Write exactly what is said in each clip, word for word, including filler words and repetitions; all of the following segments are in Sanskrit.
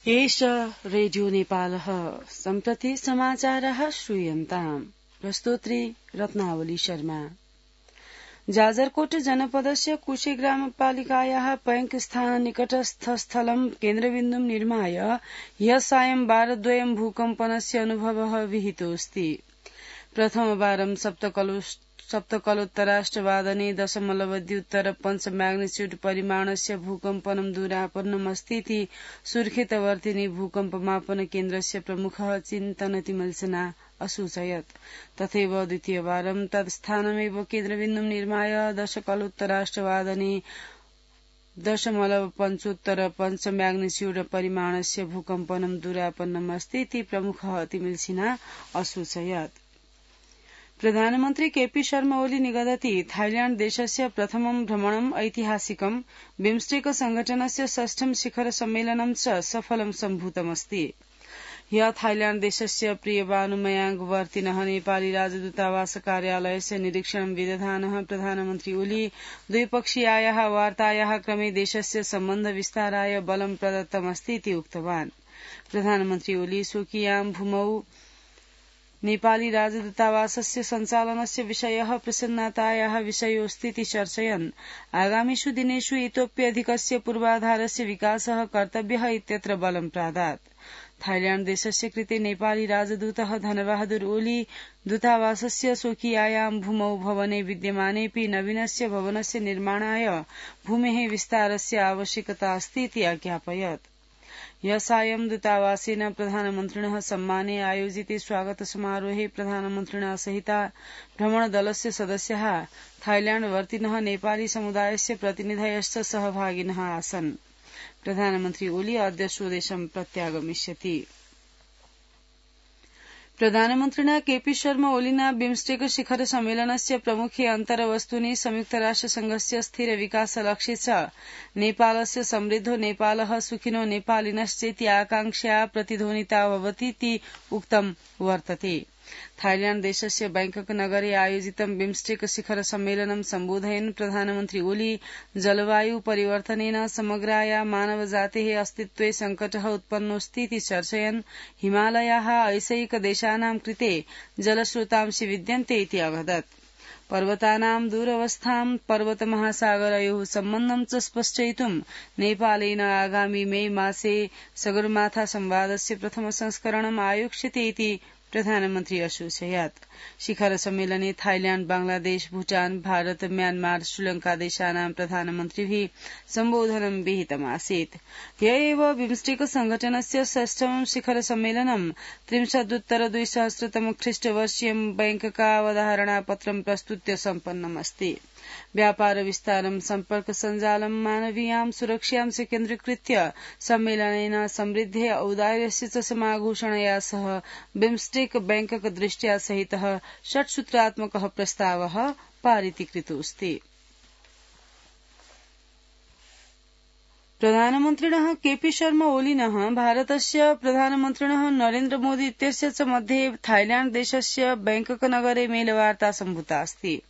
एष रेडियो नेपालः सम्प्रति समाचारः श्रूयन्ताम् प्रस्तोत्री रत्नावली शर्मा। जाजरकोट जनपदस्य कुशे ग्रामपालिकायाः बैंक स्थान निकटस्थ स्थलं केन्द्रबिन्दुं निर्माय ह्यः सायं वारद्वयं भूकम्पनस्य अनुभवः विहितोऽस्ति। प्रथमवारं सप्तकलु सप्तकलोत्तराष्टवादने दशमलवद्युत्तर पंच मैग्निट्यूड परिमाणस्य भूकम्पनं दूरापन्नमस्तीति सुर्खेतवर्तिनि भूकम्पमापन केन्द्रस्य प्रमुखः चिन्तनतिमल्सना असूचयत्। तथैव द्वितीयवारं तत्स्थानमेव केन्द्रबिन्दुं निर्माय दशकलोत्तराष्टवादने दशमलव पञ्चोत्तर पंच मैग्निट्यूड परिमाणस्य भूकम्पनं दूरापन्नमस्तीति प्रमुखः तिमिल्सिना असूचयत्। प्रधानमन्त्री केपी शर्मा ओली निगदति थाईलैण्ड देशस्य प्रथमं भ्रमणम् ऐतिहासिकं बिम्स्टेक संघटनस्य षष्ठं शिखर सम्मेलनं च सफलं सम्भूतमस्ति। ह्यः थाईलैण्ड देशस्य प्रियबानुमयाङ्ग वर्तिनः नेपाली राजदूतावास कार्यालयस्य निरीक्षणं विदधानः प्रधानमन्त्री ओली द्विपक्षीयायाः वार्तायाः क्रमे देशस्य सम्बन्ध विस्ताराय बलं प्रदत्तमस्तीति उक्तवान्। प्रधानमन्त्री ओली स्वकीयां भूमौ नेपाली राजदूतावासस्य सञ्चालनस्य विषयः प्रसन्नतायाः विषयोऽस्तीति चर्चयन् आगामिषु दिनेषु इतोप्यधिकस्य पूर्वाधारस्य विकासः कर्तव्यः इत्यत्र बलं प्रादात्। थाईलैण्ड देशस्य कृते नेपाली राजदूतः धनबहादुर ओली दूतावासस्य स्वकीयायां भूमौ भवने विद्यमानेऽपि नवीनस्य भवनस्य निर्माणाय भूमेः विस्तारस्य आवश्यकता अस्तीति अज्ञापयत्। ह्यः सायं दूतावासेन प्रधानमन्त्रिणः सम्माने आयोजिते स्वागत समारोहे प्रधानमन्त्रिणा सहिता भ्रमणदलस्य सदस्याः थाईलैण्ड वर्तिनः नेपाली समुदायस्य प्रतिनिधयश्च सहभागिनः आसन्। प्रधानमन्त्री ओली अद्य स्वदेशं प्रत्यागमिष्यति। प्रधानमन्त्रिणा केपी शर्मा ओलिना बिम्स्टेक शिखर सम्मेलनस्य प्रमुखे अन्तर्वस्तूनि संयुक्तराष्ट्रसंघस्य स्थिर विकास लक्ष्ये च नेपालस्य समृद्धो नेपालः सुखिनो नेपालिनश्चेति आकांक्षा प्रतिध्वनिता भवतीति उक्तं वर्तते। थाईलैण्ड देशस्य बैंकक नगरे आयोजितं बिम्स्टेक शिखर सम्मेलनं सम्बोधयन् प्रधानमन्त्री ओली जलवायु परिवर्तनेन समग्राया मानवजातेः अस्तित्वे संकटः उत्पन्नोऽस्तीति चर्चयन् हिमालयाः ऐसैकदेशानां कृते जलस्रोतांसि विद्यन्ते इति अवदत्। पर्वतानां दूरवस्थां पर्वतमहासागरयोः सम्बन्धं च स्पष्टयितुं नेपालेन आगामि मे मासे सगरमाथा संवादस्य प्रथम संस्करणम् आयोक्ष्यते इति प्रधानमन्त्री असूचयत्। शिखर सम्मेलने थाईलैण्ड बांग्लादेश भूटान भारत म्यानमार श्रीलंका देशानां प्रधानमन्त्रिभिः सम्बोधनं विहितमासीत्। ह्यः एव बिम्स्टेक संघटनस्य षष्ठमं शिखर सम्मेलनं त्रिंशदुत्तर द्विसहस्रतम ख्रीष्टवर्षीयं बैंककावधारणापत्रं प्रस्तुत्य सम्पन्नमस्ति। व्यापार विस्तारं सम्पर्क सञ्जालं मानवीयां सुरक्षां च केन्द्रीकृत्य सम्मेलनेन समृद्धे औदार्यस्य च समाघोषणया सह बिम्स्टेक बैंकक दृष्ट्या सहितः षट्सूत्रात्मकः प्रस्तावः पारितीकृतोऽस्ति। प्रधानमन्त्रिणः केपी शर्मा ओलिनः भारतस्य प्रधानमन्त्रिणः नरेन्द्र मोदी इत्यस्य च मध्ये थाईलैण्ड देशस्य बैंकक नगरे मेलवार्ता सम्भूता अस्ति।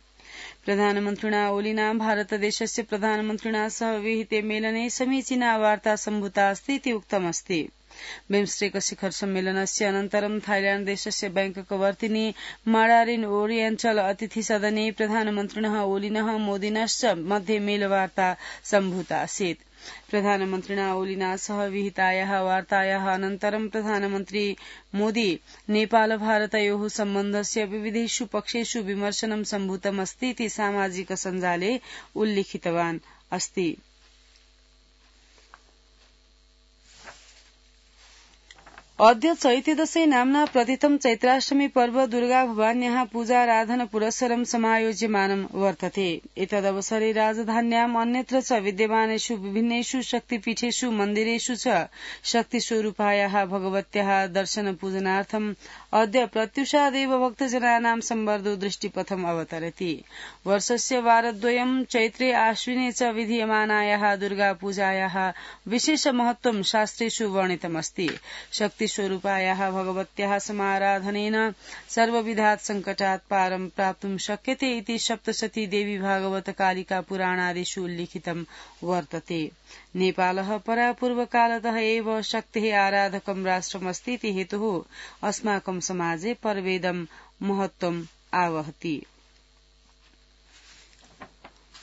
प्रधानमन्त्रिणा ओलिना भारतदेशस्य प्रधानमन्त्रिणा सह विहिते मेलने समीचीना वार्ता सम्भूता अस्ति इति उक्तमस्ति। बिम्स्टेक शिखर सम्मेलनस्य अनन्तरं थाईलैण्ड देशस्य बैंकक वर्तिनि माडारिन ओरिएन्टल अतिथि सदने प्रधानमन्त्रिणः ओलिनः मोदिनश्च मध्ये मेलवार्ता सम्भूता आसीत्। प्रधानमन्त्रिणा ओलिना सह विहितायाः वार्तायाः अनन्तरं प्रधानमन्त्री मोदी नेपाल भारतयोः सम्बन्धस्य विविधेषु पक्षेषु विमर्शनं सम्भूतमस्ति इति सामाजिक सञ्जाले उल्लिखितवान् अस्ति। अद्य चैत्यदशे नाम्ना प्रथितं चैत्राष्टमी पर्व दुर्गा भवान्याः पूजाराधन पुरस्सरं समायोज्यमानं वर्तते। एतदवसरे राजधान्याम् अन्यत्र च विद्यमानेषु विभिन्नेषु शक्तिपीठेषु मन्दिरेषु च शक्तिस्वरूपायाः भगवत्याः दर्शन पूजनार्थम् अद्य प्रत्युषादेव भक्तजनानां संवर्धो दृष्टिपथम् अवतरति। वर्षस्य वारद्वयं चैत्रे आश्विने च विधीयमानायाः दुर्गा पूजायाः विशेष महत्त्वं शास्त्रेषु वर्णितमस्ति। शक्ति शक्तिस्वरूपायाः भगवत्याः समाराधनेन सर्वविधात् सङ्कटात् पारं प्राप्तुं शक्यते इति सप्तशती देवी भागवत कालिका पुराणादिषु उल्लिखितं वर्तते। नेपालः परापूर्वकालतः एव शक्तेः आराधकं राष्ट्रमस्ति इति हेतुः अस्माकं समाजे पर्वेदं महत्त्वम् आवहति।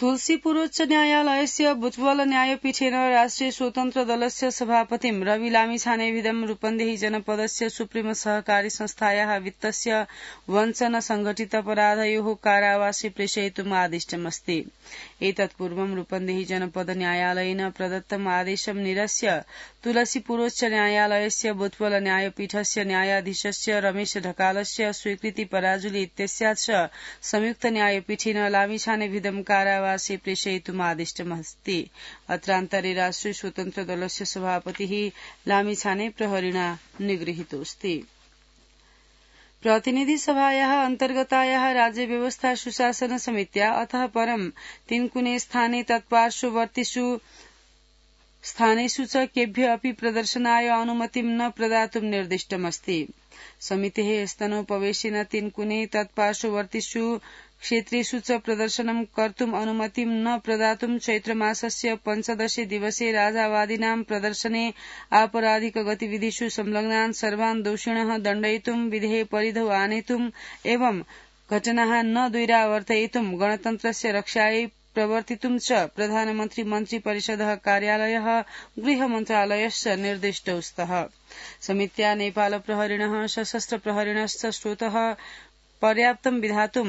तुलसीपुरोच्च न्यायालयस्य बुटवल न्यायपीठेन राष्ट्रिय स्वतन्त्र दलस्य सभापतिं रवि लामिछानेविदं रूपन्देही जनपदस्य सुप्रीम सहकारी संस्थायाः वित्तस्य वञ्चन संघटितापराधयोः कारावासे प्रेषयितुम् आदिष्टमस्ति। एतत्पूर्वं रूपन्देही जनपद न्यायालयेन प्रदत्तम् आदेशं निरस्य तुलसीपुरोच्च न्यायालयस्य बुटवल न्यायपीठस्य न्यायाधीशस्य रमेश ढकालस्य स्वीकृति पराजुली इत्यस्यात् संयुक्त न्यायपीठेन लामिछानेविदं कारावासे प्रेषयितुम् आदिष्टमस्ति। अत्रान्तरे राष्ट्रिय स्वतन्त्र दलस्य सभापतिः लामिछाने प्रहरिणा निगृहीतोऽस्ति। प्रतिनिधि सभायाः अन्तर्गतायाः राज्य व्यवस्था सुशासन समित्या अतः परं तिनकुने स्थाने तत्पार्श्ववर्तिषु स्थानेषु च केभ्य अपि प्रदर्शनाय अनुमतिं न प्रदातुं निर्दिष्टमस्ति। समितेः स्तनोपवेशेन तिनकुने तत्पार्श्ववर्तिषु क्षेत्रेषु च प्रदर्शनं कर्तुम् अनुमतिं न प्रदातुं चैत्रमासस्य पञ्चदशे दिवसे राजावादिनां प्रदर्शने आपराधिक गतिविधिषु संलग्नान् सर्वान् दोषिणः दण्डयितुं विधेः परिधौ आनेतुम् एवं घटनाः न द्वैरावर्तयितुं गणतन्त्रस्य रक्षायै प्रवर्तितुं च प्रधानमन्त्री मन्त्री परिषदः कार्यालयः गृहमन्त्रालयश्च निर्दिष्टौ स्तः। समित्या नेपाल प्रहरिणः सशस्त्र प्रहरिणश्च स्रोतः पर्याप्तं विधातुं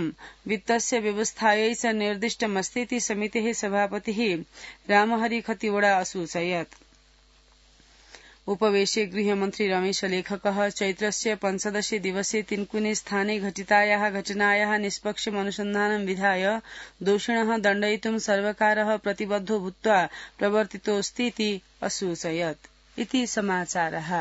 वित्तस्य व्यवस्थायै च निर्दिष्टमस्ति इति समितेः सभापतिः रामहरि खतिवड़ा असूचयत्। उपवेशे गृहमन्त्री रमेश लेखकः चैत्रस्य पञ्चदशे दिवसे तिनकुने स्थाने घटितायाः घटनायाः निष्पक्षम् अनुसन्धानं विधाय दोषिणः दण्डयितुं सर्वकारः प्रतिबद्धो भूत्वा प्रवर्तितोऽस्ति इति असूचयत्। इति समाचारः।